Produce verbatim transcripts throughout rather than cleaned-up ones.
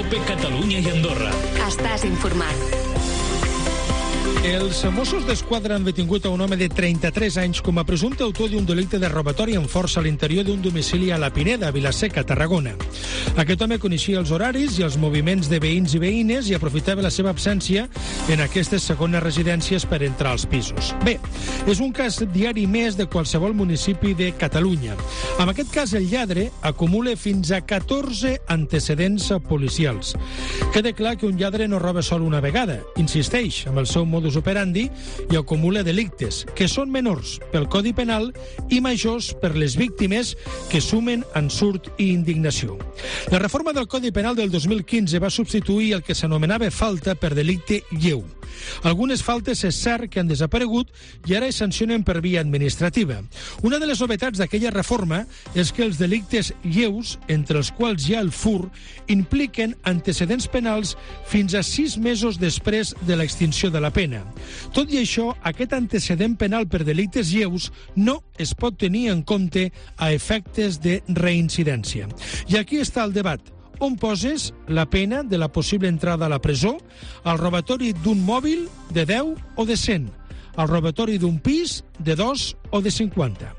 Cope Catalunya i Andorra. Estàs informat. Els Mossos d'Esquadra han detingut a un home de trenta-tres anys com a presumpte autor d'un delicte de robatori amb força a l'interior d'un domicili a la Pineda, a Vila-seca, Tarragona. Aquest home coneixia els horaris i els moviments de veïns i veïnes i aprofitava la seva absència en aquestes segones residències per entrar als pisos. Bé, és un cas diari més de qualsevol municipi de Catalunya. En aquest cas, el lladre acumula fins a catorze antecedents policials. Queda clar que un lladre no roba sol una vegada, insisteix amb el seu modus operandi i acumula delictes, que són menors pel Codi Penal i majors per les víctimes, que sumen ensurt i indignació. La reforma del Codi Penal del dos mil quinze va substituir el que s'anomenava falta per delicte lleu. Algunes faltes és cert que han desaparegut i ara es sancionen per via administrativa. Una de les novetats d'aquella reforma és que els delictes lleus, entre els quals hi ha el fur, impliquen antecedents penals fins a sis mesos després de l'extinció de la pena. Tot i això, aquest antecedent penal per delictes lleus no es pot tenir en compte a efectes de reincidència. I aquí està el debat. On poses la pena de la possible entrada a la presó, al robatori d'un mòbil de deu o de cent, al robatori d'un pis de dos o de cinquanta.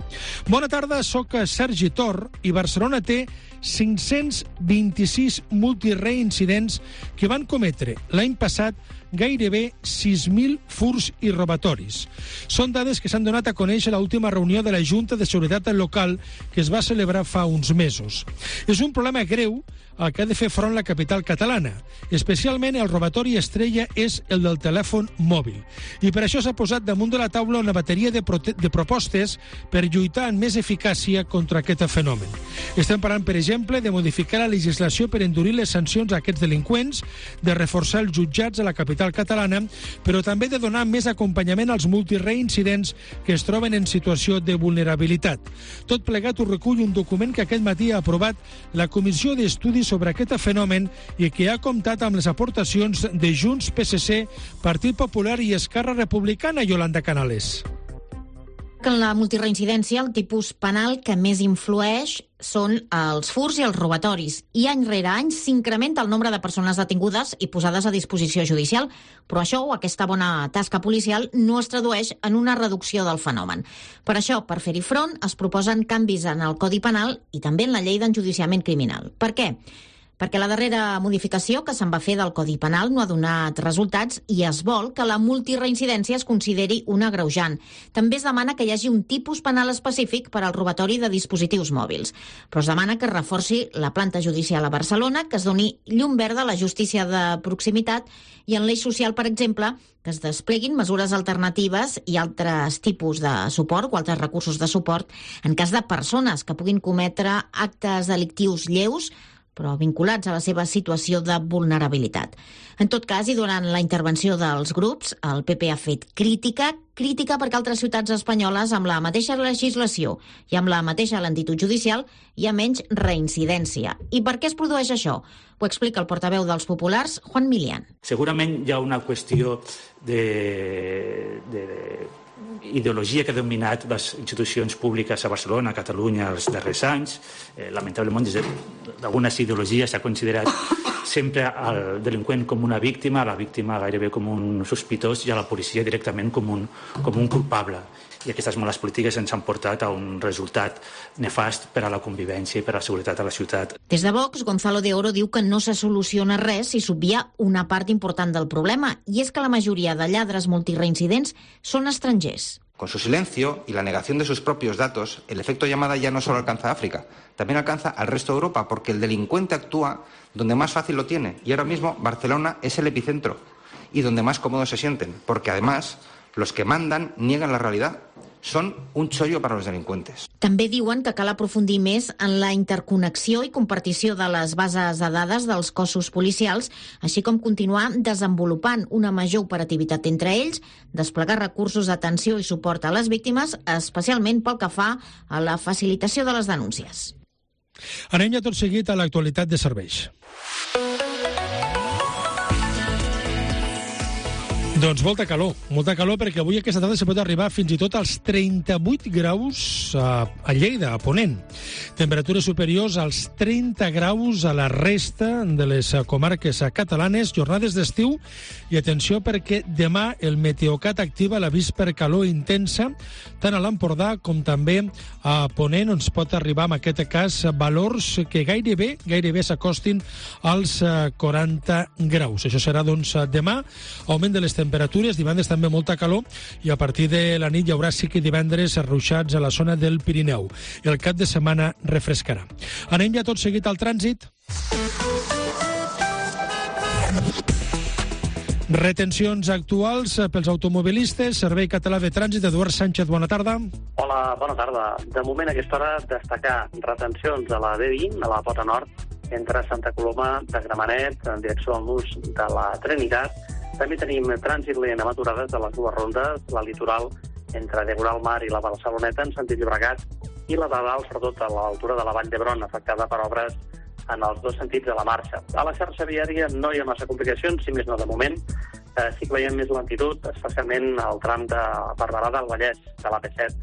Bona tarda, soc Sergi Tor i Barcelona té cinc-cents vint-i-sis multireincidents que van cometre l'any passat gairebé sis mil furs i robatoris. Són dades que s'han donat a conèixer a l'última reunió de la Junta de Seguretat Local que es va celebrar fa uns mesos. És un problema greu al que ha de fer front la capital catalana. Especialment el robatori estrella és el del telèfon mòbil. I per això s'ha posat damunt de la taula una bateria de, de propostes per lluitar amb més eficàcia contra aquest fenomen. Estem parlant, per exemple, de modificar la legislació per endurir les sancions a aquests delinqüents, de reforçar els jutjats a la capital catalana, però també de donar més acompanyament als multireincidents que es troben en situació de vulnerabilitat. Tot plegat ho recull un document que aquest matí ha aprovat la Comissió d'Estudis sobre aquest fenomen i que ha comptat amb les aportacions de Junts, P S C, Partit Popular i Esquerra Republicana. Yolanda Canales. En la multireincidència, el tipus penal que més influeix són els furs i els robatoris. I any rere any s'incrementa el nombre de persones detingudes i posades a disposició judicial, però això o aquesta bona tasca policial no es tradueix en una reducció del fenomen. Per això, per fer-hi front, es proposen canvis en el Codi Penal i també en la llei d'enjudiciament criminal. Per què? Perquè la darrera modificació que se'n va fer del Codi Penal no ha donat resultats i es vol que la multireincidència es consideri un agreujant. També es demana que hi hagi un tipus penal específic per al robatori de dispositius mòbils. Però es demana que es reforci la planta judicial a Barcelona, que es doni llum verda a la justícia de proximitat i en l'eix social, per exemple, que es despleguin mesures alternatives i altres tipus de suport o altres recursos de suport en cas de persones que puguin cometre actes delictius lleus però vinculats a la seva situació de vulnerabilitat. En tot cas, i durant la intervenció dels grups, el P P ha fet crítica, crítica perquè altres ciutats espanyoles amb la mateixa legislació i amb la mateixa lentitud judicial hi ha menys reincidència. I per què es produeix això? Ho explica el portaveu dels populars, Juan Milián. Segurament hi ha una qüestió de... de ideologia que ha dominat les institucions públiques a Barcelona, a Catalunya, els darrers anys. Eh, lamentablement, des d'algunes ideologies s'ha considerat sempre el delinqüent com una víctima, la víctima gairebé com un sospitós i a la policia directament com un, com un culpable. I aquestes males polítiques ens han portat a un resultat nefast per a la convivència i per a la seguretat a la ciutat. Des de Vox, Gonzalo de Oro diu que no se soluciona res si s'obvia una part important del problema, i és que la majoria de lladres multireincidents són estrangers. Con su silencio y la negación de sus propios datos, el efecto llamada ya no solo alcanza a África, también alcanza al resto de Europa, porque el delincuente actúa donde más fácil lo tiene. Y ahora mismo Barcelona es el epicentro y donde más cómodos se sienten, porque además los que mandan niegan la realidad. Són un xollo per als delinqüents. També diuen que cal aprofundir més en la interconnexió i compartició de les bases de dades dels cossos policials, així com continuar desenvolupant una major operativitat entre ells, desplegar recursos d'atenció i suport a les víctimes, especialment pel que fa a la facilitació de les denúncies. Anem ja tot seguit a l'actualitat de serveis. Doncs molta calor, molta calor, perquè avui aquesta tarda se pot arribar fins i tot als trenta-vuit graus a, a Lleida, a Ponent. Temperatures superiors als trenta graus a la resta de les comarques catalanes, jornades d'estiu, i atenció perquè demà el Meteocat activa l'avís per calor intensa, tant a l'Empordà com també a Ponent, on es pot arribar, en aquest cas, valors que gairebé, gairebé s'acostin als quaranta graus. Això serà, doncs, demà, augment de les temperatures, divendres també molta calor, i a partir de la nit hi haurà sí que divendres ruixats a la zona del Pirineu. El cap de setmana refrescarà. Anem ja tot seguit al trànsit. Retencions actuals pels automobilistes. Servei Català de Trànsit, Eduard Sánchez, bona tarda. Hola, bona tarda. De moment, a aquesta hora, destacar retencions a la B vint, a la Pota Nord, entre Santa Coloma de Gramenet, en direcció al nus de la Trinitat. També tenim trànsit lent amb aturades de les dues rondes, la litoral entre Degoral Mar i la Barceloneta en sentit Llobregat, i la de dalt, sobretot a l'altura de la Vall d'Hebron, afectada per obres en els dos sentits de la marxa. A la xarxa viària no hi ha massa complicacions, si més no de moment. Eh, sí que veiem més lentitud, especialment al tram de Barberà del Vallès, de la P set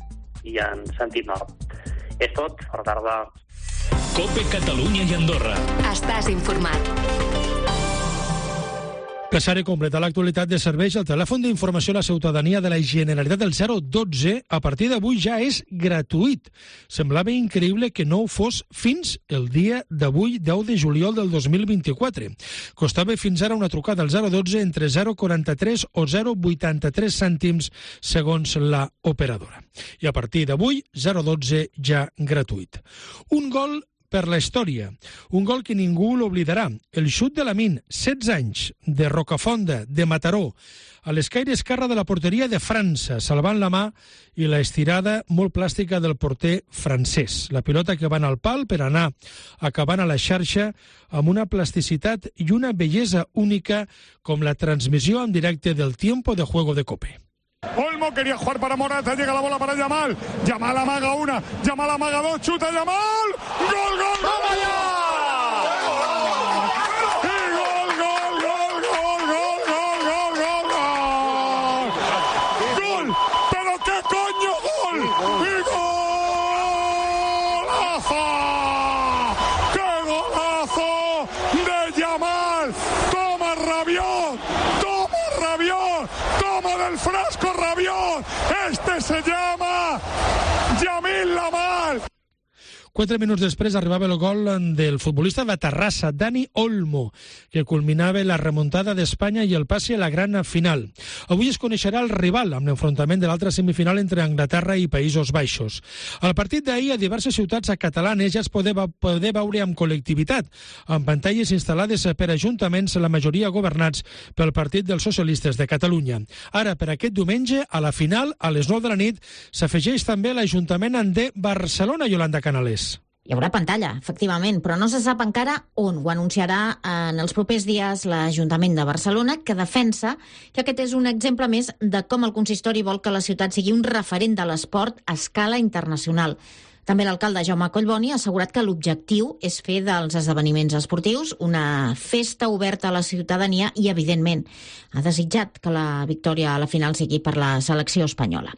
i en sentit nord. És tot, per tarda. COPE Catalunya i Andorra. Estàs informat. Passaré completa l'actualitat de serveis. El telèfon d'informació a la ciutadania de la Generalitat del zero dotze a partir d'avui ja és gratuït. Semblava increïble que no ho fos fins el dia d'avui, deu de juliol del dos mil vint-i-quatre. Costava fins ara una trucada al zero dotze entre zero coma quaranta-tres o zero coma vuitanta-tres cèntims segons la operadora. I a partir d'avui, zero dotze ja gratuït. Un gol per la història. Un gol que ningú l'oblidarà. El xut de Lamine, setze anys, de Rocafonda, de Mataró, a l'escaire esquerre de la porteria de França, salvant la mà, i la estirada molt plàstica del porter francès. La pilota que va anar al pal per anar acabant a la xarxa amb una plasticitat i una bellesa única com la transmissió en directe del tiempo de juego de COPE. Olmo quería jugar para Morata, llega la bola para Yamal, Yamal amaga una, Yamal amaga dos, chuta Yamal, gol, gol, ¡vamos allá! Y gol, gol, gol, gol, gol, gol, gol, gol, gol, gol, pero qué coño gol, y golazo, qué golazo de Yamal, toma Rabiot, toma Rabiot, toma del frasco Rabiot, este se llama Yamil Lamal. Quatre minuts després arribava el gol del futbolista de Terrassa, Dani Olmo, que culminava la remuntada d'Espanya i el passe a la gran final. Avui es coneixerà el rival amb l'enfrontament de l'altra semifinal entre Anglaterra i Països Baixos. Al partit d'ahir, a diverses ciutats catalanes ja es podeva poder veure amb col·lectivitat, amb pantalles instal·lades per ajuntaments, la majoria governats pel Partit dels Socialistes de Catalunya. Ara, per aquest diumenge, a la final, a les nou de la nit, s'afegeix també l'Ajuntament de Barcelona, Yolanda Canales. Hi haurà pantalla, efectivament, però no se sap encara on. Ho anunciarà en els propers dies l'Ajuntament de Barcelona, que defensa que aquest és un exemple més de com el consistori vol que la ciutat sigui un referent de l'esport a escala internacional. També l'alcalde Jaume Collboni ha assegurat que l'objectiu és fer dels esdeveniments esportius una festa oberta a la ciutadania i, evidentment, ha desitjat que la victòria a la final sigui per la selecció espanyola.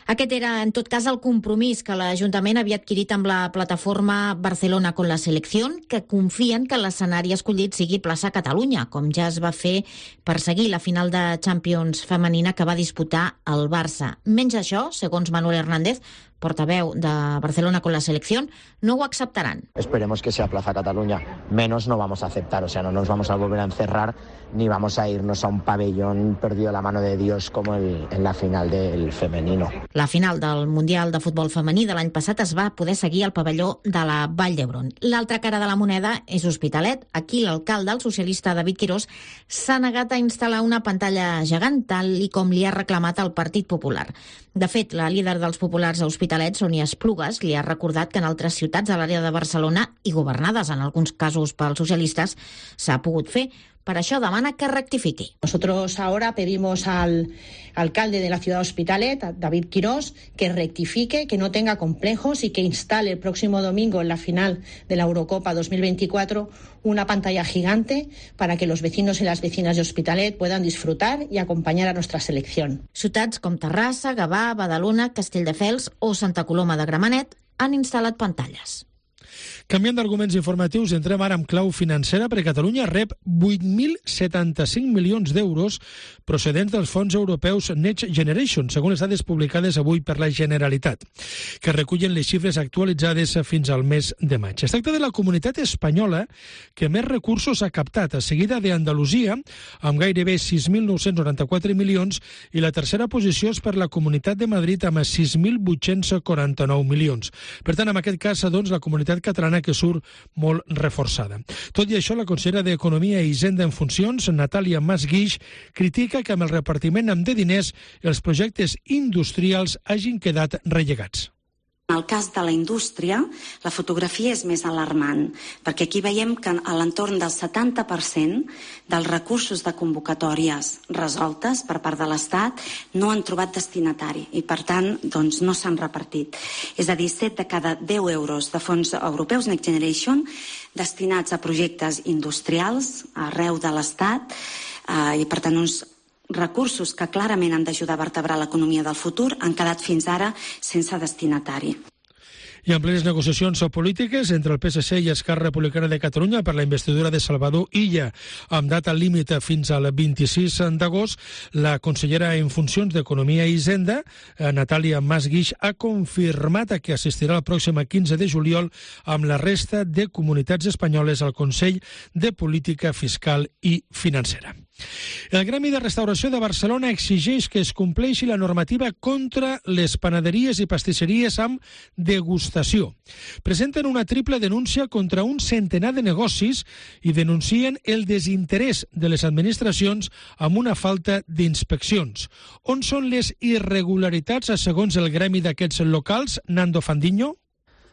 Aquest era, en tot cas, el compromís que l'Ajuntament havia adquirit amb la plataforma Barcelona con la Selección, que confien que l'escenari escollit sigui plaça Catalunya, com ja es va fer per seguir la final de Champions femenina que va disputar el Barça. Menys això, segons Manuel Hernández, portaveu de Barcelona con la Selección, no ho acceptaran. Esperemos que sea Plaza Cataluña. Menos no vamos a aceptar, o sea, no nos vamos a volver a encerrar ni vamos a irnos a un pabellón perdido a la mano de Dios como el, en la final del femenino. La final del Mundial de Futbol Femení de l'any passat es va poder seguir al pavelló de la Vall d'Hebron. L'altra cara de la moneda és Hospitalet. Aquí l'alcalde, el socialista David Quirós, s'ha negat a instal·lar una pantalla gegant, tal i com li ha reclamat el Partit Popular. De fet, la líder dels populars a Hospitalet, Sònia Esplugues, li ha recordat que en altres ciutats de l'àrea de Barcelona, i governades en alguns casos pels socialistes, s'ha pogut fer, Per això demana que rectifiqui. Nosotros ahora pedimos al alcalde de la ciudad de Hospitalet, a David Quirós, que rectifique, que no tenga complejos y que instale el próximo domingo en la final de la Eurocopa dos mil veinticuatro una pantalla gigante para que los vecinos y las vecinas de Hospitalet puedan disfrutar y acompañar a nuestra selección. Ciutats com Terrassa, Gavà, Badalona, Castelldefels o Santa Coloma de Gramenet han instal·lat pantalles. Canviant d'arguments informatius, entrem ara amb clau financera, perquè Catalunya rep vuit mil setanta-cinc milions d'euros procedents dels fons europeus Next Generation, segons les dades publicades avui per la Generalitat, que recullen les xifres actualitzades fins al mes de maig. Es tracta de la comunitat espanyola que més recursos ha captat, a seguida d'Andalusia, amb gairebé sis mil nou-cents noranta-quatre milions, i la tercera posició és per la Comunitat de Madrid amb sis mil vuit-cents quaranta-nou milions. Per tant, en aquest cas, doncs, la comunitat catalana que surt molt reforçada. Tot i això, la consellera d'Economia i Hisenda en funcions, Natàlia Mas Guix, critica que amb el repartiment de diners els projectes industrials hagin quedat rellegats. En el cas de la indústria, la fotografia és més alarmant, perquè aquí veiem que a l'entorn del setanta per cent dels recursos de convocatòries resoltes per part de l'Estat no han trobat destinatari i, per tant, doncs, no s'han repartit. És a dir, set de cada deu euros de fons europeus Next Generation destinats a projectes industrials arreu de l'Estat eh, i, per tant, uns recursos que clarament han d'ajudar a vertebrar l'economia del futur han quedat fins ara sense destinatari. I en plenes negociacions polítiques entre el P S C i Esquerra Republicana de Catalunya per la investidura de Salvador Illa, amb data límit fins al vint-i-sis d'agost, la consellera en funcions d'Economia i Hisenda, Natàlia Mas Guix, ha confirmat que assistirà el pròxim quinze de juliol amb la resta de comunitats espanyoles al Consell de Política Fiscal i Financera. El Gremi de Restauració de Barcelona exigeix que es compleixi la normativa contra les panaderies i pastisseries amb degustació. Presenten una triple denúncia contra un centenar de negocis i denuncien el desinterès de les administracions amb una falta d'inspeccions. On són les irregularitats segons el gremi d'aquests locals, Nando Fandiño?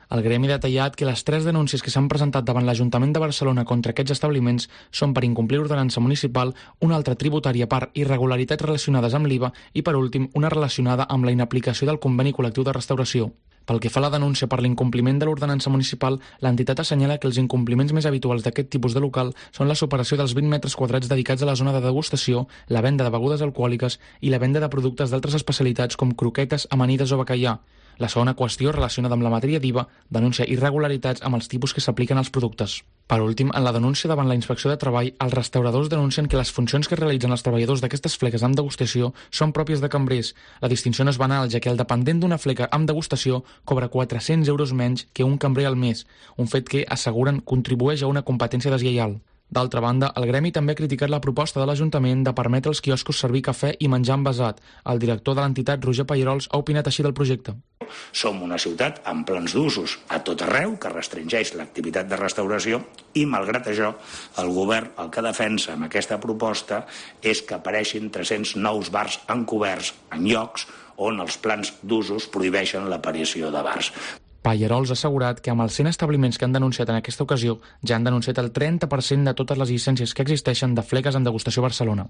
El gremi ha detallat que les tres denúncies que s'han presentat davant l'Ajuntament de Barcelona contra aquests establiments són per incomplir l'ordenança municipal, una altra tributària per irregularitats relacionades amb l'I V A i, per últim, una relacionada amb la inaplicació del conveni col·lectiu de restauració. Pel que fa a la denúncia per l'incompliment de l'ordenança municipal, l'entitat assenyala que els incompliments més habituals d'aquest tipus de local són la superació dels vint metres quadrats dedicats a la zona de degustació, la venda de begudes alcohòliques i la venda de productes d'altres especialitats com croquetes, amanides o bacallà. La segona qüestió, relacionada amb la matèria d'I V A, denuncia irregularitats amb els tipus que s'apliquen als productes. Per últim, en la denúncia davant la Inspecció de Treball, els restauradors denuncien que les funcions que realitzen els treballadors d'aquestes fleques amb degustació són pròpies de cambrers. La distinció no és banal, ja que el dependent d'una fleca amb degustació cobra quatre-cents euros menys que un cambrer al mes, un fet que, asseguren, contribueix a una competència deslleial. D'altra banda, el gremi també ha criticat la proposta de l'Ajuntament de permetre als quioscos servir cafè i menjar envasat. El director de l'entitat, Roger Payerols, ha opinat així del projecte. Som una ciutat amb plans d'usos a tot arreu que restringeix l'activitat de restauració i, malgrat això, el govern el que defensa amb aquesta proposta és que apareixin tres-cents nous bars encoberts en llocs on els plans d'usos prohibeixen l'aparició de bars. Payerols ha assegurat que amb els cent establiments que han denunciat en aquesta ocasió ja han denunciat el trenta per cent de totes les llicències que existeixen de fleques en degustació a Barcelona.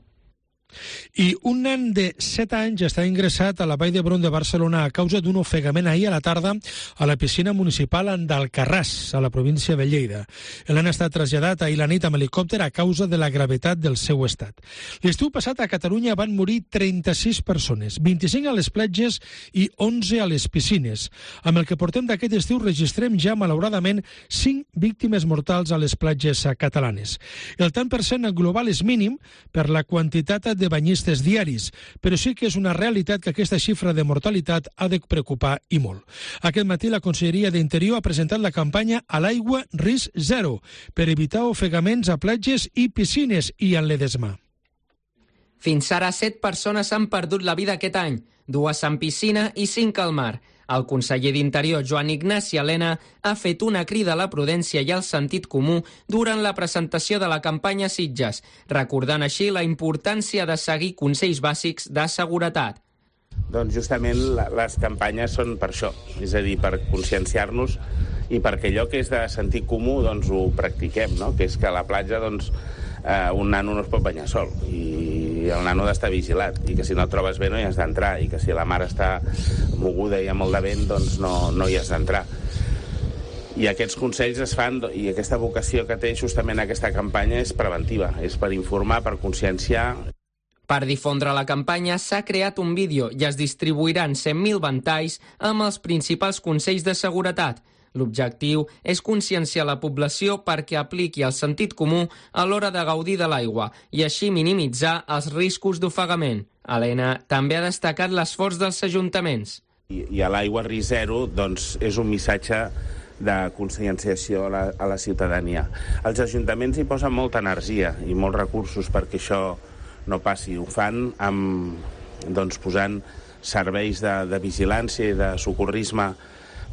I un nen de set anys està ingressat a la Vall d'Hebron de Barcelona a causa d'un ofegament ahir a la tarda a la piscina municipal d'Alcarràs, a la província de Lleida. El nen ha estat traslladat ahir la nit amb helicòpter a causa de la gravetat del seu estat. L'estiu passat a Catalunya van morir trenta-sis persones, vint-i-cinc a les platges i onze a les piscines. Amb el que portem d'aquest estiu registrem ja, malauradament, cinc víctimes mortals a les platges catalanes. El tant per cent global és mínim per la quantitat de banyistes diaris, però sí que és una realitat que aquesta xifra de mortalitat ha de preocupar i molt. Aquest matí la Conselleria d'Interior ha presentat la campanya A l'aigua risc zero per evitar ofegaments a platges i piscines i en Ledesma. Fins ara, set persones han perdut la vida aquest any, dues en piscina i cinc al mar. El conseller d'Interior, Joan Ignasi Elena, ha fet una crida a la prudència i al sentit comú durant la presentació de la campanya Sitges, recordant així la importància de seguir consells bàsics de seguretat. Doncs justament les campanyes són per això, és a dir, per conscienciar-nos i perquè allò que és de sentit comú doncs ho practiquem, no? Que és que a la platja doncs, eh, un nano no es pot banyar sol i el nano ha d'estar vigilat i que si no et trobes bé no hi has d'entrar i que si la mar està moguda i amb molt de vent doncs no, no hi has d'entrar. I aquests consells es fan, i aquesta vocació que té justament aquesta campanya és preventiva, és per informar, per conscienciar. Per difondre la campanya s'ha creat un vídeo i es distribuiran cent mil ventalls amb els principals consells de seguretat. L'objectiu és conscienciar la població perquè apliqui el sentit comú a l'hora de gaudir de l'aigua i així minimitzar els riscos d'ofegament. Helena també ha destacat l'esforç dels ajuntaments. I, i a l'aigua risc zero doncs, és un missatge de conscienciació a la, a la ciutadania. Els ajuntaments hi posen molta energia i molts recursos perquè això no passi. Ho fan amb, doncs, posant serveis de, de vigilància i de socorrisme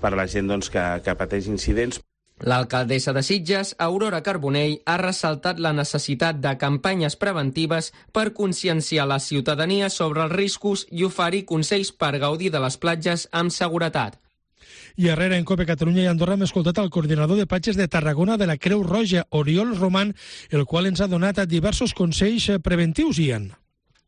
per a la gent doncs, que, que pateix incidents. L'alcaldessa de Sitges, Aurora Carbonell, ha ressaltat la necessitat de campanyes preventives per conscienciar la ciutadania sobre els riscos i oferir consells per gaudir de les platges amb seguretat. I darrere, en COPE Catalunya i Andorra, hem escoltat el coordinador de platges de Tarragona de la Creu Roja, Oriol Roman, el qual ens ha donat diversos consells preventius, Ian.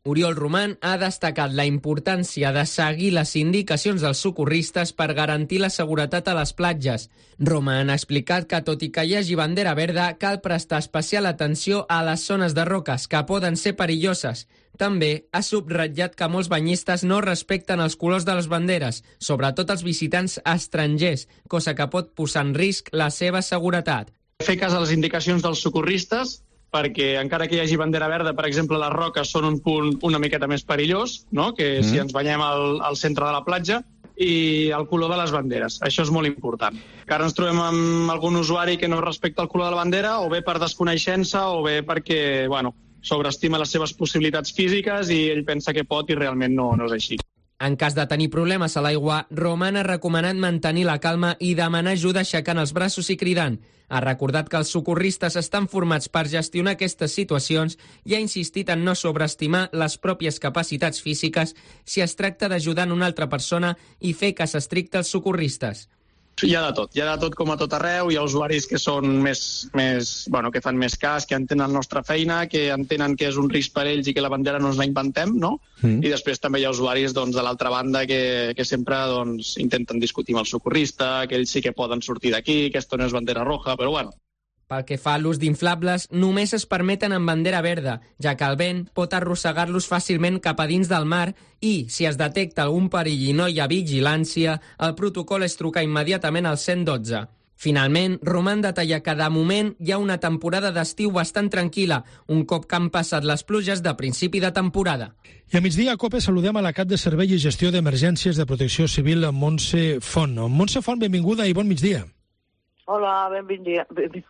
Oriol Roman ha destacat la importància de seguir les indicacions dels socorristes per garantir la seguretat a les platges. Roman ha explicat que, tot i que hi hagi bandera verda, cal prestar especial atenció a les zones de roques, que poden ser perilloses. També ha subratllat que molts banyistes no respecten els colors de les banderes, sobretot els visitants estrangers, cosa que pot posar en risc la seva seguretat. Fer cas a les indicacions dels socorristes, perquè encara que hi hagi bandera verda, per exemple, les roques són un punt una miqueta més perillós, no? Que mm. si ens banyem al, al centre de la platja, i el color de les banderes. Això és molt important. Que ara ens trobem amb algun usuari que no respecta el color de la bandera, o bé per desconeixença, o bé perquè, bueno, sobreestima les seves possibilitats físiques i ell pensa que pot i realment no, no és així. En cas de tenir problemes a l'aigua, Roman ha recomanat mantenir la calma i demanar ajuda aixecant els braços i cridant. Ha recordat que els socorristes estan formats per gestionar aquestes situacions i ha insistit en no sobreestimar les pròpies capacitats físiques si es tracta d'ajudar una altra persona i fer cas estricte als socorristes. Hi ha de tot, hi ha de tot com a tot arreu, hi ha usuaris que són més, més, bueno, que fan més cas, que entenen la nostra feina, que entenen que és un risc per ells i que la bandera no ens la inventem, no? Mm. I després també hi ha usuaris doncs, de l'altra banda que, que sempre doncs, intenten discutir amb el socorrista, que ells sí que poden sortir d'aquí, que esto no és bandera roja, però bueno. Pel que fa a l'ús d'inflables, només es permeten amb bandera verda, ja que el vent pot arrossegar-los fàcilment cap a dins del mar i, si es detecta algun perill i no hi ha vigilància, el protocol és trucar immediatament al cent dotze. Finalment, Roman detalla que de moment hi ha una temporada d'estiu bastant tranquil·la, un cop que han passat les pluges de principi de temporada. I a migdia a COPE saludem a la cap de Servei i Gestió d'Emergències de Protecció Civil, Montse Font. Montse Font, benvinguda i bon migdia. Hola, benvinguda.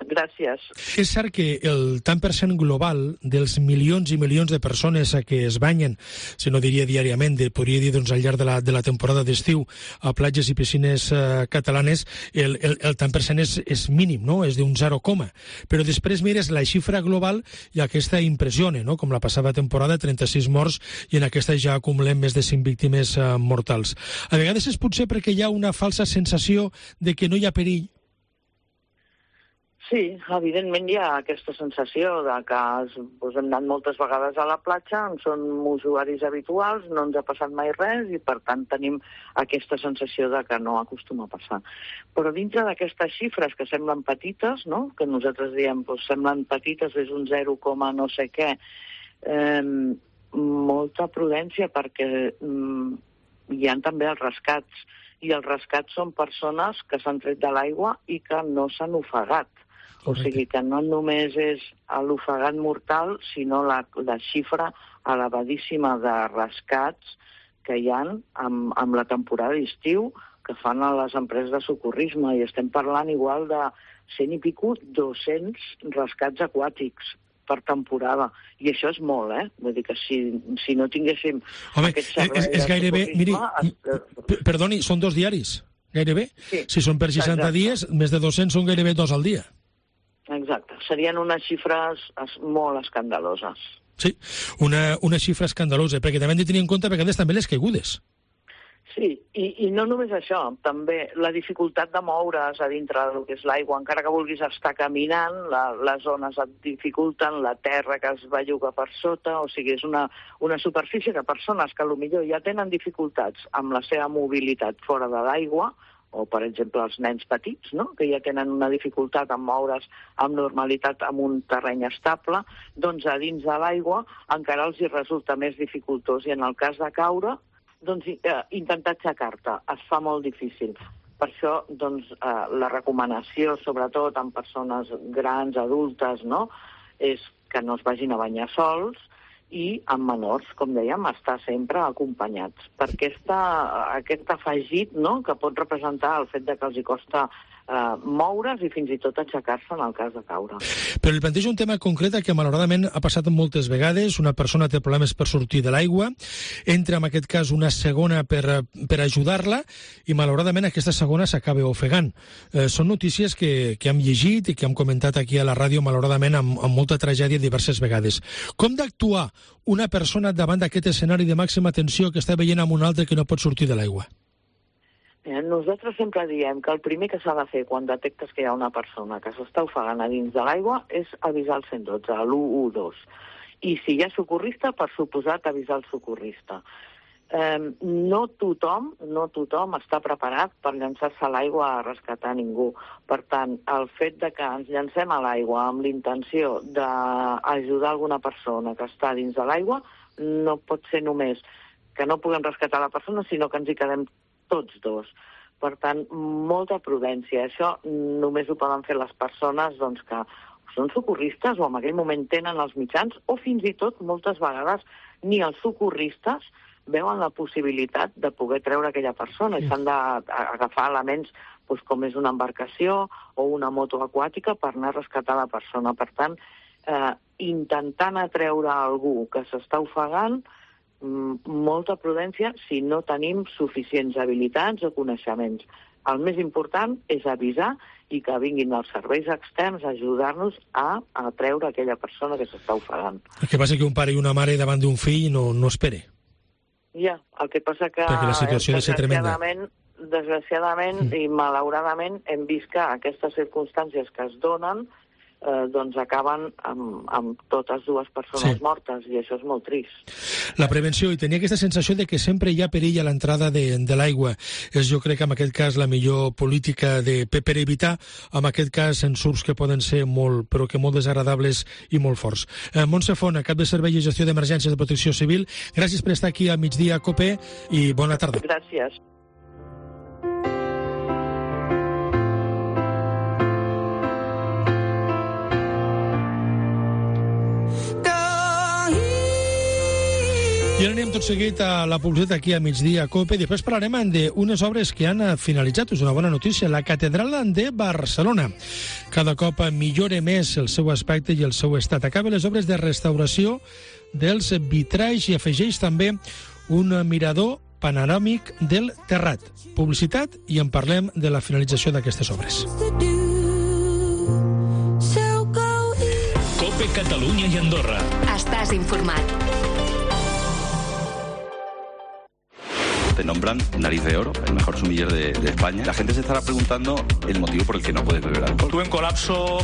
Gràcies. És cert que el tant per cent global dels milions i milions de persones que es banyen, si no diria diàriament, de, podria dir doncs, al llarg de la, de la temporada d'estiu a platges i piscines eh, catalanes, el, el, el tant per cent és, és mínim, no? És d'un zero, però després mires la xifra global i aquesta impressiona, no? Com la passada temporada, trenta-sis morts, i en aquesta ja acumulem més de cinc víctimes eh, mortals. A vegades és potser perquè hi ha una falsa sensació de que no hi ha perill. Sí, evidentment hi ha aquesta sensació de que doncs, hem anat moltes vegades a la platja, som usuaris habituals, no ens ha passat mai res i per tant tenim aquesta sensació de que no acostuma a passar. Però dintre d'aquestes xifres que semblen petites, no? Que nosaltres diem doncs, semblen petites, és un zero, no sé què, eh, molta prudència perquè eh, hi ha també els rescats i els rescats són persones que s'han tret de l'aigua i que no s'han ofegat. O sigui que no només és l'ofegat mortal, sinó la, la xifra elevadíssima de rescats que hi ha amb, amb la temporada d'estiu que fan a les empreses de socorrisme. I estem parlant igual de cent i pico, dos-cents rescats aquàtics per temporada. I això és molt, eh? Vull dir que si, si no tinguéssim Home, aquest servei és, és gairebé, miri, es... perdoni, són dos diaris, gairebé. Sí, si són per seixanta exacte. Dies, més de dos-cents són gairebé dos al dia. Exacte, serien unes xifres molt escandaloses. Sí, una, una xifra escandalosa, perquè també hem de tenir en compte a vegades també les caigudes. Sí, i, i no només això, també la dificultat de moure's a dintre del que és l'aigua. Encara que vulguis estar caminant, la, les ones et dificulten, la terra que es belluga per sota, o sigui, és una, una superfície que persones que potser ja tenen dificultats amb la seva mobilitat fora de l'aigua, o, per exemple, els nens petits, no?, que ja tenen una dificultat en moure's amb normalitat en un terreny estable, doncs a dins de l'aigua encara els hi resulta més dificultós. I en el cas de caure, doncs eh, intentar aixecar-te es fa molt difícil. Per això, doncs, eh, la recomanació, sobretot en persones grans, adultes, no?, és que no es vagin a banyar sols, i amb menors, com dèiem, estar sempre acompanyats. Per aquesta, aquest afegit, no?, que pot representar el fet de que els hi costa eh, moure's i fins i tot aixecar-se en el cas de caure. Però li plantejo un tema concret que malauradament ha passat moltes vegades. Una persona té problemes per sortir de l'aigua, entra en aquest cas una segona per, per ajudar-la i malauradament aquesta segona s'acaba ofegant. Eh, són notícies que, que hem llegit i que hem comentat aquí a la ràdio malauradament amb, amb molta tragèdia diverses vegades. Com d'actuar una persona davant d'aquest escenari de màxima tensió que està veient amb un altre que no pot sortir de l'aigua? Nosaltres sempre diem que el primer que s'ha de fer quan detectes que hi ha una persona que s'està ofegant a dins de l'aigua és avisar el cent i dotze, l'u u dos. I si hi ha socorrista, per suposat avisar el socorrista. Eh, no tothom, no tothom està preparat per llançar-se a l'aigua a rescatar ningú. Per tant, el fet de que ens llancem a l'aigua amb l'intenció d'ajudar alguna persona que està dins de l'aigua no pot ser només que no puguem rescatar la persona, sinó que ens hi quedem tots dos. Per tant, molta prudència. Això només ho poden fer les persones doncs, que són socorristes o en aquell moment tenen els mitjans, o fins i tot, moltes vegades, ni els socorristes veuen la possibilitat de poder treure aquella persona i s'han d'agafar elements doncs, com és una embarcació o una moto aquàtica per anar a rescatar la persona. Per tant, eh, intentant atreure algú que s'està ofegant, molta prudència si no tenim suficients habilitats o coneixements. El més important és avisar i que vinguin els serveis externs a ajudar-nos a atreure aquella persona que s'està ofegant. El que passa que un pare i una mare davant d'un fill no, no espere. Ja, el que passa que perquè la situació ha de ser tremenda. Desgraciadament mm. i malauradament hem vist que aquestes circumstàncies que es donen Eh, doncs acaben amb, amb totes dues persones sí. mortes, i això és molt trist. La prevenció, i tenia aquesta sensació de que sempre hi ha perill a l'entrada de, de l'aigua. És, jo crec, en aquest cas, la millor política de, per evitar, en aquest cas, ensurts que poden ser molt, però que molt desagradables i molt forts. Eh, Montse Font, cap de Servei i Gestió d'Emergències de Protecció Civil, gràcies per estar aquí a Migdia Cope i bona tarda. Gràcies. I ara anem tot seguit a la publicitat aquí a Migdia Cope. Després parlarem d'unes obres que han finalitzat. És una bona notícia. La Catedral de Barcelona cada cop millora més el seu aspecte i el seu estat. Acaba les obres de restauració dels vitralls i afegeix també un mirador panoràmic del terrat. Publicitat i en parlem de la finalització d'aquestes obres. Cope Catalunya i Andorra. Estàs informat. Te nombran Nariz de Oro, el mejor sumiller de, de España. La gente se estará preguntando el motivo por el que no puedes beber alcohol. Tuve un colapso,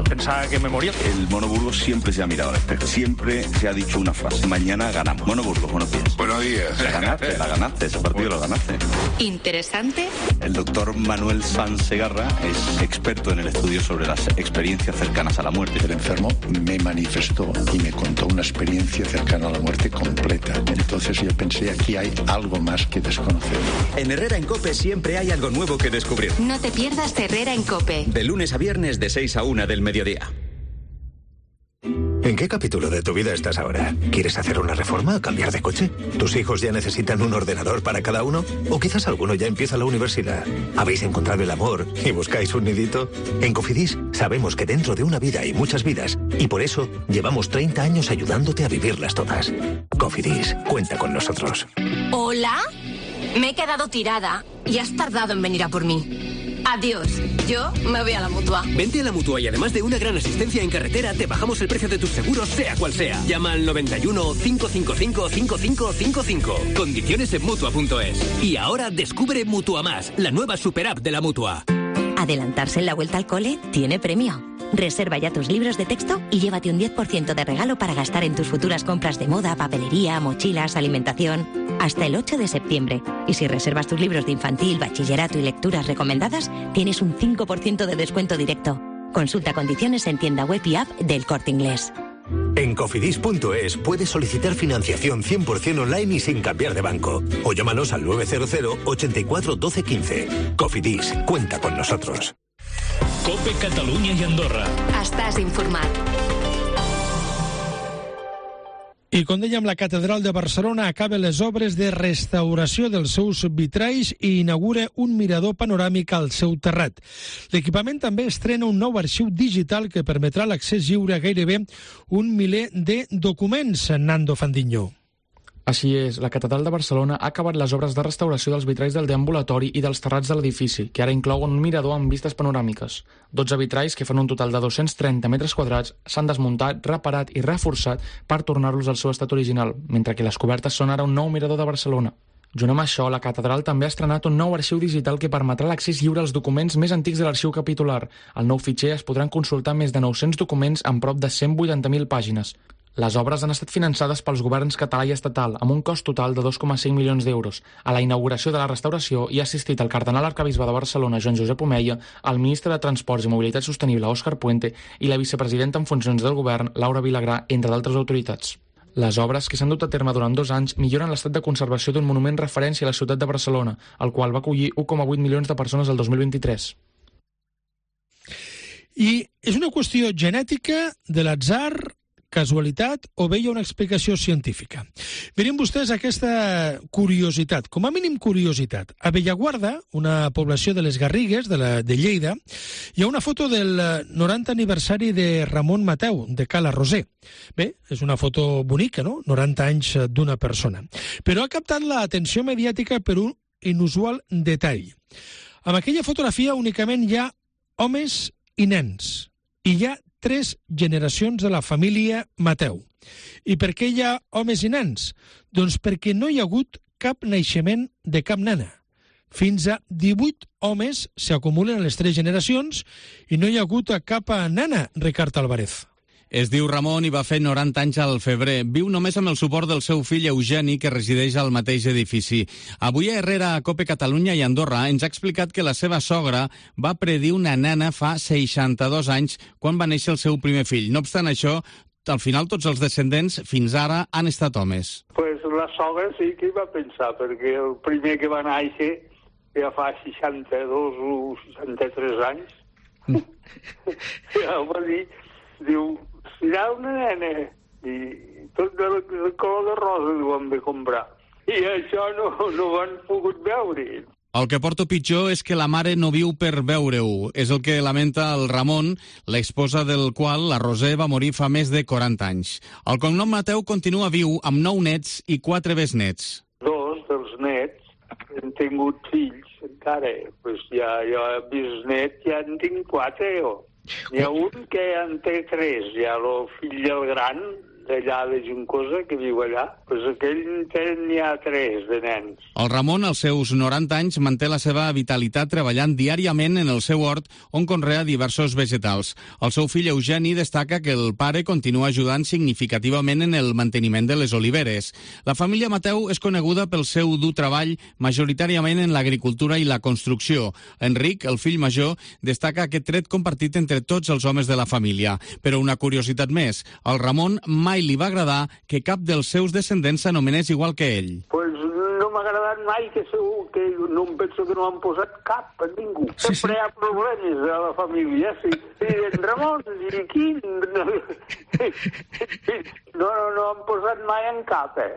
pensaba que me moría. El Mono Burgos siempre se ha mirado al espejo. Siempre se ha dicho una frase: mañana ganamos. Mono Burgos, buenos días. Buenos días. La ganaste, la ganaste, ese partido lo ganaste. Interesante. El doctor Manuel Sanz Segarra es experto en el estudio sobre las experiencias cercanas a la muerte. El enfermo me manifestó y me contó una experiencia cercana a la muerte completa. Entonces yo pensé, aquí hay algo más que desconocemos. En Herrera en COPE siempre hay algo nuevo que descubrir. No te pierdas Herrera en COPE. De lunes a viernes de seis a una del mediodía. ¿En qué capítulo de tu vida estás ahora? ¿Quieres hacer una reforma o cambiar de coche? ¿Tus hijos ya necesitan un ordenador para cada uno? ¿O quizás alguno ya empieza la universidad? ¿Habéis encontrado el amor y buscáis un nidito? En Cofidis sabemos que dentro de una vida hay muchas vidas y por eso llevamos treinta años ayudándote a vivirlas todas. Cofidis, cuenta con nosotros. ¿Hola? Me he quedado tirada y has tardado en venir a por mí. Adiós. Yo me voy a la Mutua. Vente a la Mutua y además de una gran asistencia en carretera, te bajamos el precio de tus seguros, sea cual sea. Llama al noventa y uno, cinco cinco cinco, cinco cinco cinco cinco. Condiciones en Mutua punto es. Y ahora descubre Mutua Más, la nueva super app de la Mutua. Adelantarse en la vuelta al cole tiene premio. Reserva ya tus libros de texto y llévate un diez por ciento de regalo para gastar en tus futuras compras de moda, papelería, mochilas, alimentación. Hasta el ocho de septiembre. Y si reservas tus libros de infantil, bachillerato y lecturas recomendadas, tienes un cinco por ciento de descuento directo. Consulta condiciones en tienda web y app del Corte Inglés. En cofidis punto es puedes solicitar financiación cien por ciento online y sin cambiar de banco. O llámanos al nueve cero cero, ochenta y cuatro, doce, quince. Cofidis, cuenta con nosotros. Cope Catalunya i Andorra. Estàs informat. I com dèiem, la Catedral de Barcelona acaba les obres de restauració dels seus vitralls i inaugura un mirador panoràmic al seu terrat. L'equipament també estrena un nou arxiu digital que permetrà l'accés lliure a gairebé un miler de documents, Nando Fandiño. Així és, la Catedral de Barcelona ha acabat les obres de restauració dels vitralls del deambulatori i dels terrats de l'edifici, que ara inclouen un mirador amb vistes panoràmiques. dotze vitralls, que fan un total de dos-cents trenta metres quadrats, s'han desmuntat, reparat i reforçat per tornar-los al seu estat original, mentre que les cobertes són ara un nou mirador de Barcelona. Junt amb això, la Catedral també ha estrenat un nou arxiu digital que permetrà l'accés lliure als documents més antics de l'arxiu capitular. Al nou fitxer es podran consultar més de nou-cents documents amb prop de cent vuitanta mil pàgines. Les obres han estat finançades pels governs català i estatal, amb un cost total de dos coma cinc milions d'euros. A la inauguració de la restauració hi ha assistit el cardenal arquebisbe de Barcelona, Joan Josep Omeia, el ministre de Transports i Mobilitat Sostenible, Òscar Puente, i la vicepresidenta en funcions del govern, Laura Vilagrà, entre d'altres autoritats. Les obres, que s'han dut a terme durant dos anys, milloren l'estat de conservació d'un monument referència a la ciutat de Barcelona, el qual va acollir un coma vuit milions de persones el dos mil vint-i-tres. I és una qüestió genètica, de l'atzar, casualitat o bé hi ha una explicació científica. Miren vostès aquesta curiositat, com a mínim curiositat. A Bellaguarda, una població de les Garrigues, de, la, de Lleida, hi ha una foto del noranta aniversari de Ramon Mateu, de Cala Roser. Bé, és una foto bonica, no? noranta anys d'una persona. Però ha captat l'atenció mediàtica per un inusual detall. En aquella fotografia únicament hi ha homes i nens, i hi ha tres generacions de la família Mateu. I per què hi ha homes i nens? Doncs perquè no hi ha hagut cap naixement de cap nena. Fins a divuit homes s'acumulen en les tres generacions i no hi ha hagut cap nena, Ricard Álvarez. Es diu Ramon i va fer noranta anys al febrer. Viu només amb el suport del seu fill Eugeni, que resideix al mateix edifici. Avui a Herrera, a Cope Catalunya i Andorra, ens ha explicat que la seva sogra va predir una nana fa seixanta-dos anys quan va néixer el seu primer fill. No obstant això, al final tots els descendents fins ara han estat homes. Pues la sogra sí que hi va pensar, perquè el primer que va néixer ja fa seixanta-dos o seixanta-tres anys. Ja ho va dir, diu, serà una nena, i tot del de color de rosa ho hem de comprar. I això no, no ho han pogut veure. El que porta pitjor és que la mare no viu per veure-ho. És el que lamenta el Ramon, l'esposa del qual, la Roser, va morir fa més de quaranta anys. El cognom Mateu continua viu amb nou nets i quatre besnets. Dos dels nets han tingut fills encara. Pues ja, ja bisnet ja en tinc quatre, jo. N'hi ha un que en té tres, ja el fill el gran, d'allà de Juncosa, que viu allà, doncs aquell n'hi ha tres de nens. El Ramon, als seus noranta anys, manté la seva vitalitat treballant diàriament en el seu hort, on conrea diversos vegetals. El seu fill Eugeni destaca que el pare continua ajudant significativament en el manteniment de les oliveres. La família Mateu és coneguda pel seu dur treball, majoritàriament en l'agricultura i la construcció. Enric, el fill major, destaca aquest tret compartit entre tots els homes de la família. Però una curiositat més, el Ramon mai li va agradar que cap dels seus descendents s'anomenés igual que ell. Pues no m'ha agradat mai que segur que no em penso que no han posat cap a ningú. Sí, Sempre sí. Hi ha problemes a la família. Sí. I en Ramon, i quin? No, no, no han posat mai en cap, eh?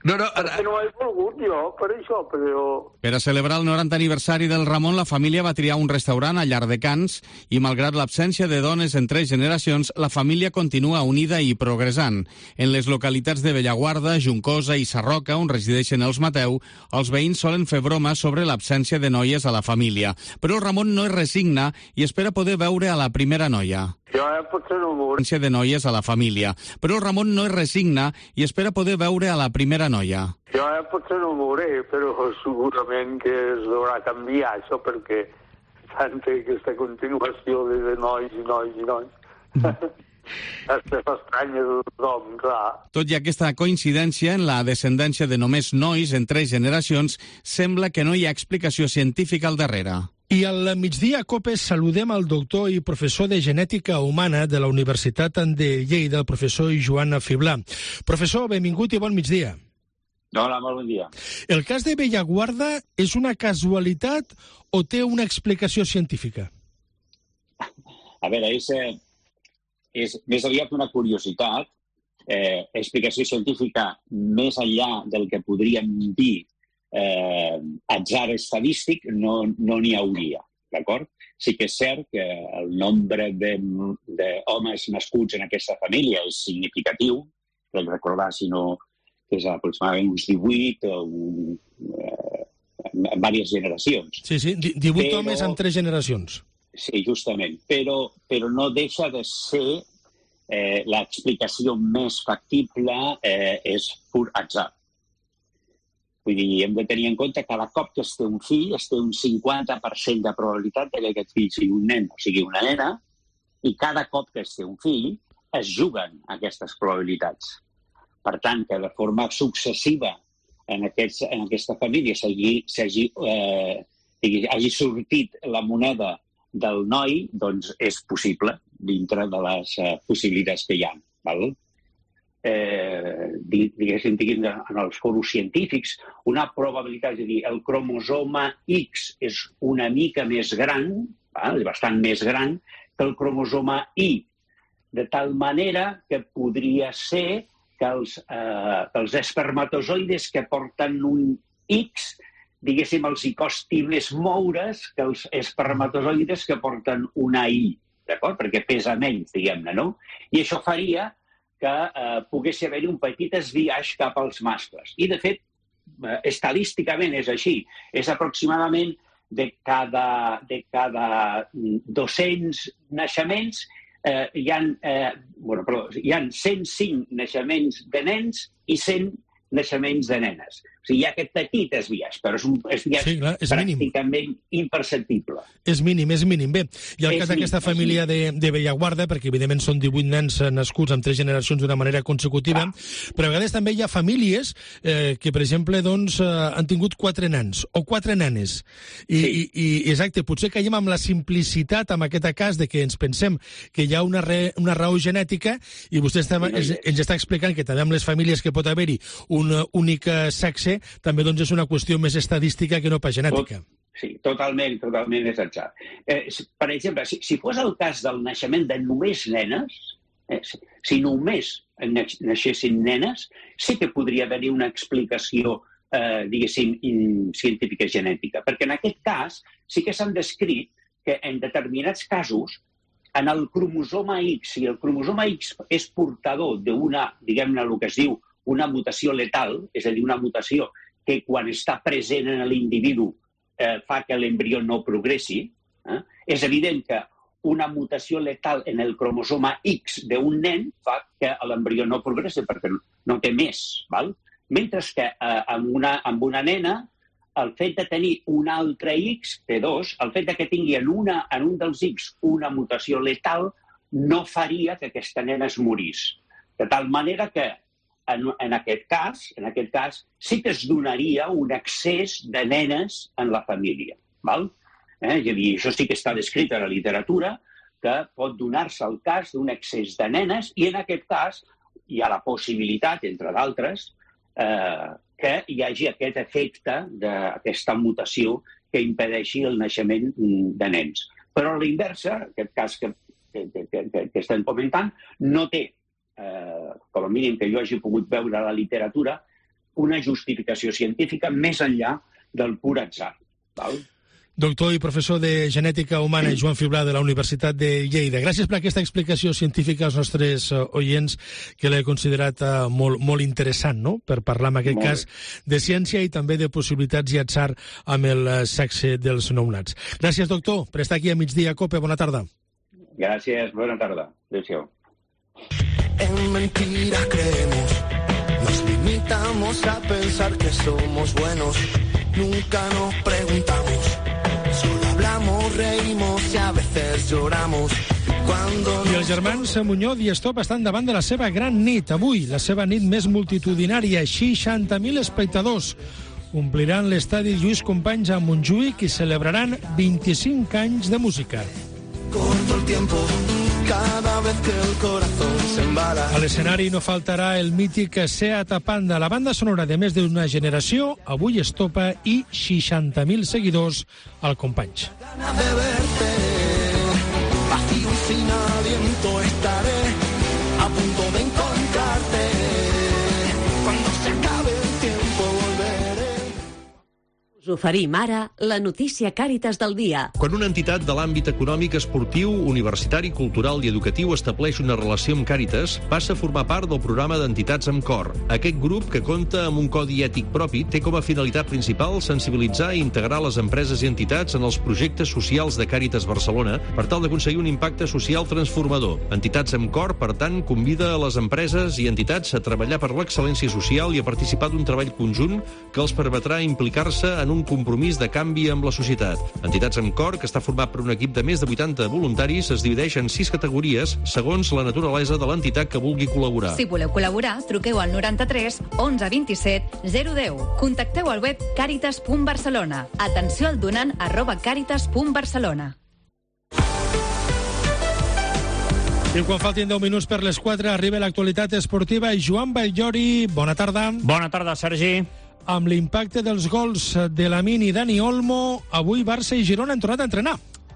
No, no, Perquè no he volgut jo, per això, però... Per a celebrar el noranta aniversari del Ramon, la família va triar un restaurant a Llardecans i, malgrat l'absència de dones en tres generacions, la família continua unida i progressant. En les localitats de Bellaguarda, Juncosa i Sarroca, on resideixen els Mateu, Els veïns solen fer bromes sobre l'absència de noies a la família, però el Ramon no es resigna i espera poder veure a la primera noia. Jo eh, potser no ho veuré. De noies a la família, però el Ramon no es resigna i espera poder veure a la primera noia. Jo eh, potser no ho veuré, però segurament que es deurà canviar això, perquè tanta aquesta continuació de, de nois i nois i nois. Està estranya de tothom, clar. Tot i aquesta coincidència en la descendència de només nois en tres generacions, sembla que no hi ha explicació científica al darrere. I al migdia, a Copes, saludem al doctor i professor de genètica humana de la Universitat de Lleida, el professor Joan Fiblà. Professor, benvingut i bon migdia. Hola, molt bon dia. El cas de Bellaguarda és una casualitat o té una explicació científica? A veure, és, eh, és més aviat una curiositat. Eh, explicació científica més enllà del que podríem dir eh, atzar estadístic no n'hi no hauria, d'acord? Sí que és cert que el nombre d'homes nascuts en aquesta família és significatiu, crec recordar, si no, que és aproximadament uns divuit o un, eh, en diverses generacions. Sí, sí, divuit però, homes en tres generacions. Sí, justament, però, però no deixa de ser eh, l'explicació més factible eh, és pur atzar. Vull dir, hem de tenir en compte que cada cop que es té un fill, es té un cinquanta per cent de probabilitat que aquest fill sigui un nen o sigui una nena, i cada cop que es té un fill es juguen aquestes probabilitats. Per tant, que de forma successiva en, aquests, en aquesta família s'hagi eh, hagi sortit la moneda del noi, doncs és possible dintre de les eh, possibilitats que hi ha. Val? Eh, diguéssim, diguéssim, en els foros científics, una probabilitat, és a dir, el cromosoma X és una mica més gran, val? És bastant més gran que el cromosoma Y, de tal manera que podria ser que els, eh, que els espermatozoides que porten un X, diguéssim, els hi costi més moure's que els espermatozoides que porten una Y, d'acord? Perquè pesa menys, diguem-ne, no? I això faria que eh, pogués haver-hi un petit esbiaix cap als mascles. I, de fet, eh, estadísticament és així. És aproximadament de cada, de cada dos-cents naixements Eh, hi, ha, eh, bueno, perdó, hi ha cent cinc naixements de nens i cent naixements de nenes. O sigui, hi ha aquest petit esbiaix, però és un esbiaix sí, clar, és pràcticament mínim. Imperceptible. És mínim, és mínim. Bé, i el és cas d'aquesta família de, de Bellaguarda, perquè evidentment són divuit nens nascuts en tres generacions d'una manera consecutiva, ah. però a vegades també hi ha famílies eh, que, per exemple, doncs, eh, han tingut quatre nens o quatre nenes. I, sí. i, i exacte, potser caiem amb la simplicitat en aquest cas de que ens pensem que hi ha una, re, una raó genètica i vostè està, sí, ens, ens està explicant que també amb les famílies que pot haver-hi un únic sexe també doncs, és una qüestió més estadística que no pas genètica. Sí, totalment, totalment és atzar. Eh, per exemple, si, si fos el cas del naixement de només nenes, eh, si, si només naixessin nenes, sí que podria haver-hi una explicació, eh, diguéssim, in, científica genètica. Perquè en aquest cas sí que s'han descrit que en determinats casos en el cromosoma X, si el cromosoma X és portador d'una, diguem-ne, el que es diu una mutació letal, és a dir, una mutació que quan està present en l'individu eh, fa que l'embrió no progressi, eh? És evident que una mutació letal en el cromosoma X d'un nen fa que l'embrió no progressi perquè no té més. Val? Mentre que eh, amb, una, amb una nena, el fet de tenir un altre X, T dos, el fet de que tingui en, una, en un dels X una mutació letal no faria que aquesta nena es morís. De tal manera que En, en, aquest cas, en aquest cas, sí que es donaria un excés de nenes en la família. Val? Eh? És a dir, això sí que està descrit a la literatura, que pot donar-se el cas d'un excés de nenes i en aquest cas hi ha la possibilitat, entre d'altres, eh, que hi hagi aquest efecte d'aquesta mutació que impedeixi el naixement de nens. Però a la inversa, aquest cas que, que, que, que estem comentant, no té Eh, com a mínim que jo hagi pogut veure a la literatura, una justificació científica més enllà del pur atzar. Val? Doctor i professor de Genètica Humana Joan Fiblà de la Universitat de Lleida. Gràcies per aquesta explicació científica als nostres oients, que l'he considerat molt, molt interessant, no?, per parlar en aquest cas de ciència i també de possibilitats i atzar amb el sexe dels nounats. Gràcies, doctor, per estar aquí a Migdia Cope. Bona tarda. Gràcies, bona tarda. Adéu-siau. En mentiras creemos, nos limitamos a pensar que somos buenos, nunca nos preguntamos. Solo hablamos, reímos y a veces lloramos. Cuando I els germans Muñoz i Estop estan davant de la seva gran nit. Avui, la seva nit més multitudinària, seixanta mil espectadors ompliran l'estadi Lluís Companys a Montjuïc i celebraran vint-i-cinc anys de música. corto el tiempo, cada vez que el corazón se embala. A l'escenari no faltarà el mític Seat Panda, la banda sonora de més d'una generació, avui Estopa i seixanta mil seguidors al Companys. Ganas de verte, vacío y sin aliento estaré, a punto de encontrarte. Cuando se acabe el tiempo volveré. Us oferim ara la notícia Càritas del dia. Quan una entitat de l'àmbit econòmic, esportiu, universitari, cultural i educatiu estableix una relació amb Càritas, passa a formar part del programa d'entitats amb cor. Aquest grup, que compta amb un codi ètic propi, té com a finalitat principal sensibilitzar i integrar les empreses i entitats en els projectes socials de Càritas Barcelona per tal d'aconseguir un impacte social transformador. Entitats amb cor, per tant, convida a les empreses i entitats a treballar per l'excel·lència social i a participar d'un treball conjunt que els permetrà implicar-se en un un compromís de canvi amb la societat. Entitats amb cor, que està format per un equip de més de vuitanta voluntaris, es divideix en sis categories segons la naturalesa de l'entitat que vulgui col·laborar. Si voleu col·laborar, truqueu al noranta-tres onze vint-i-set zero deu. Contacteu al web càritas punt barcelona. Atenció al donant arroba càritas punt barcelona. I quan faltin deu minuts per les quatre, arriba l'actualitat esportiva. Joan Batllori, bona tarda. Bona tarda, Sergi. Amb l'impacte dels gols de Lamine i Dani Olmo, avui Barça i Girona han tornat a entrenar.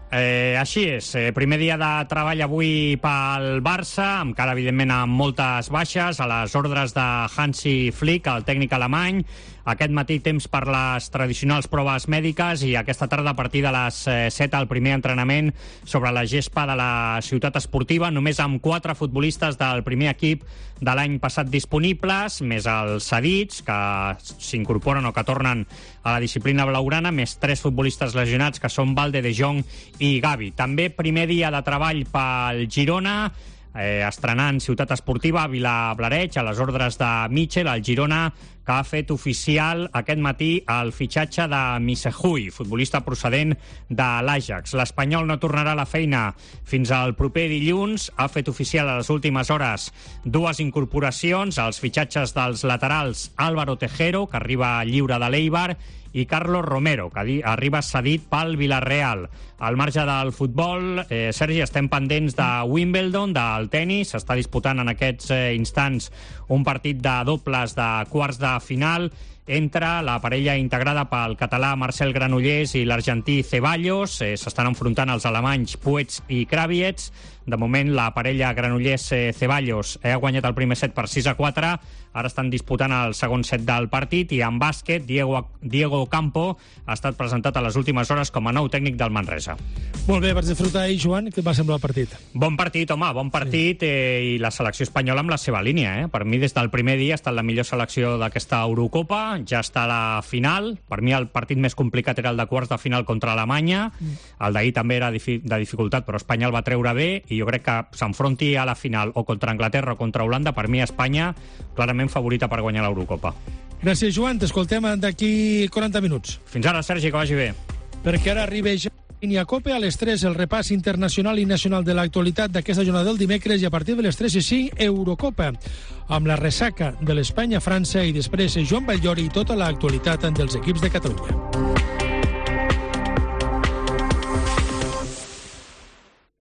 Eh, així és, eh, primer dia de treball avui pel Barça, encara evidentment amb moltes baixes, a les ordres de Hansi Flick, el tècnic alemany. Aquest matí temps per les tradicionals proves mèdiques i aquesta tarda a partir de les set el primer entrenament sobre la gespa de la ciutat esportiva, només amb quatre futbolistes del primer equip de l'any passat disponibles, més els cedits que s'incorporen o que tornen a la disciplina blaugrana, més tres futbolistes lesionats que són Valde, De Jong i Gavi. També primer dia de treball pel Girona, eh, estrenant ciutat esportiva a Vilablareig, a les ordres de Mitchell, el Girona, que ha fet oficial aquest matí el fitxatge de Missehui, futbolista procedent de l'Ajax. L'Espanyol no tornarà a la feina fins al proper dilluns. Ha fet oficial a les últimes hores dues incorporacions, els fitxatges dels laterals Álvaro Tejero, que arriba lliure de l'Eibar, i Carlos Romero, que arriba cedit pel Villarreal. Al marge del futbol, eh, Sergi, estem pendents de Wimbledon, del tennis. S'està disputant en aquests eh, instants un partit de dobles de quarts de final entre la parella integrada pel català Marcel Granollers i l'argentí Ceballos. Eh, s'estan enfrontant els alemanys Puig i Kravietz. De moment, la parella Granollers-Ceballos ha guanyat el primer set per sis a quatre. Ara estan disputant el segon set del partit i en bàsquet, Diego, Diego Campo ha estat presentat a les últimes hores com a nou tècnic del Manresa. Molt bé, vaig disfrutar ahir, Joan. Què et va semblar el partit? Bon partit, home, bon partit, eh, i la selecció espanyola amb la seva línia. Eh? Per mi, des del primer dia, ha estat la millor selecció d'aquesta Eurocopa. Ja està a la final. Per mi, el partit més complicat era el de quarts de final contra Alemanya. El d'ahir també era de dificultat, però Espanya el va treure bé, i jo crec que s'enfronti a la final o contra Anglaterra o contra Holanda, per mi Espanya clarament favorita per guanyar l'Eurocopa. Gràcies, Joan. T'escoltem d'aquí quaranta minuts. Fins ara, Sergi, que vagi bé. Perquè ara arriba ja a Cope a les tres, el repàs internacional i nacional de l'actualitat d'aquesta jornada del dimecres, i a partir de les tres i cinc, Eurocopa, amb la ressaca de l'Espanya-França i després Joan Batllori i tota l'actualitat dels equips de Catalunya.